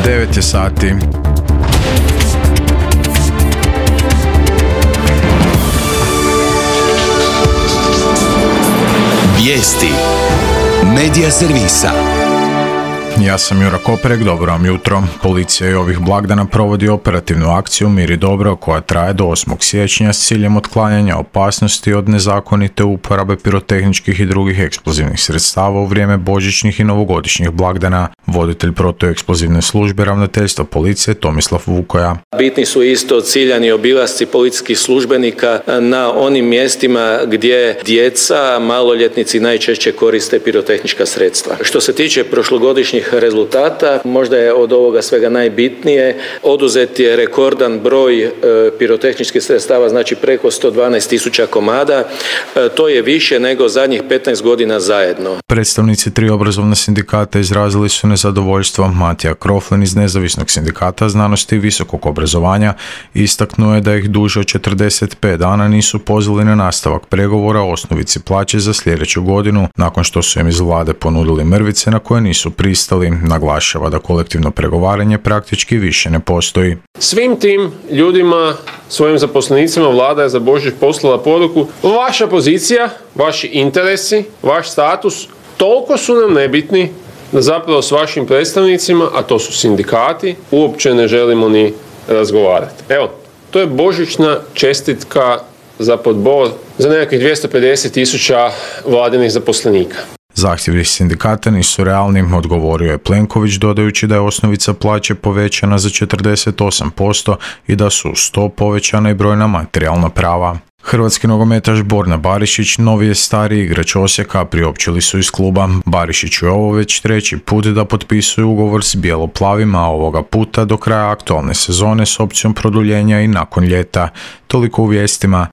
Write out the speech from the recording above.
9 je sati. Vijesti Medija servisa. Ja sam Jura Koperek, dobro vam jutro. Policija je ovih blagdana provodi operativnu akciju Mir i dobro koja traje do 8. siječnja s ciljem otklanjanja opasnosti od nezakonite uporabe pirotehničkih i drugih eksplozivnih sredstava u vrijeme božićnih i novogodišnjih blagdana. Voditelj protueksplozivne službe ravnateljstva policije Tomislav Vukoja. Bitni su isto ciljani obilasci policijskih službenika na onim mjestima gdje djeca, maloljetnici najčešće koriste pirotehnička sredstva. Što se tiče prošlogodišnjih rezultata, možda je od ovoga svega najbitnije, oduzet je rekordan broj pirotehničkih sredstava, znači preko 112.000 komada. To je više nego zadnjih 15 godina zajedno. Predstavnici 3 obrazovna sindikata izrazili su nezadovoljstvo. Matija Kroflin iz Nezavisnog sindikata znanosti i visokog obrazovanja istaknuo je da ih duže od 45 dana nisu pozvali na nastavak pregovora o osnovici plaće za sljedeću godinu, nakon što su im iz vlade ponudili mrvice na koje nisu pristali. Naglašava da kolektivno pregovaranje praktički više ne postoji. Svim tim ljudima, svojim zaposlenicima, vlada je za Božić poslala poruku: vaša pozicija, vaši interesi, vaš status toliko su nam nebitni da zapravo s vašim predstavnicima, a to su sindikati, uopće ne želimo ni razgovarati. Evo, to je božićna čestitka za podbor za nekakvih 250.000 vladinih zaposlenika. Zahtjevi sindikata nisu realni, odgovorio je Plenković dodajući da je osnovica plaće povećana za 48% i da su uz to povećana i brojna materijalna prava. Hrvatski nogometaš Borna Barišić novi je stari igrač Osijeka, priopćili su iz kluba. Barišiću je ovo već 3. put da potpisuje ugovor s bijelo-plavima, a ovoga puta do kraja aktualne sezone s opcijom produljenja i nakon ljeta. Toliko u vijestima.